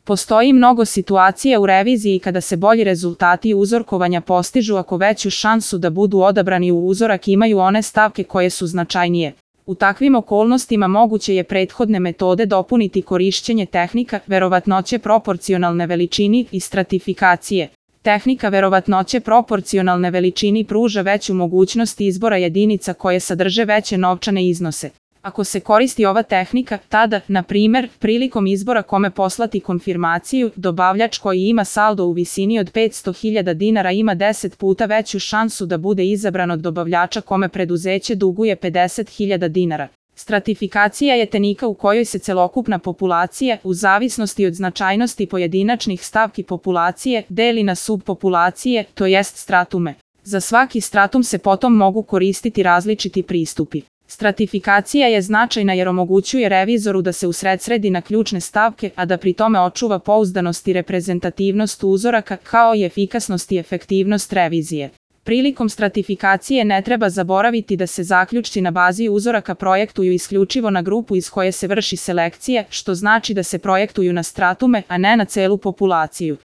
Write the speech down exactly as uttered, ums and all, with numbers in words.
Postoji mnogo situacija u reviziji kada se bolji rezultati uzorkovanja postižu ako veću šansu da budu odabrani u uzorak imaju one stavke koje su značajnije. U takvim okolnostima moguće je prethodne metode dopuniti korišćenje tehnika verovatnoće proporcionalne veličini i stratifikacije. Tehnika verovatnoće proporcionalne veličini pruža veću mogućnost izbora jedinica koje sadrže veće novčane iznose. Ako se koristi ova tehnika, tada, na primer, prilikom izbora kome poslati konfirmaciju, dobavljač koji ima saldo u visini od petsto hiljada dinara ima deset puta veću šansu da bude izabran od dobavljača kome preduzeće duguje pedeset hiljada dinara. Stratifikacija je tehnika u kojoj se celokupna populacija, u zavisnosti od značajnosti pojedinačnih stavki populacije, deli na subpopulacije, to jest stratume. Za svaki stratum se potom mogu koristiti različiti pristupi. Stratifikacija je značajna jer omogućuje revizoru da se usredsredi na ključne stavke, a da pri tome očuva pouzdanost i reprezentativnost uzoraka, kao i efikasnost i efektivnost revizije. Prilikom stratifikacije ne treba zaboraviti da se zaključci na bazi uzoraka projektuju isključivo na grupu iz koje se vrši selekcija, što znači da se projektuju na stratume, a ne na celu populaciju.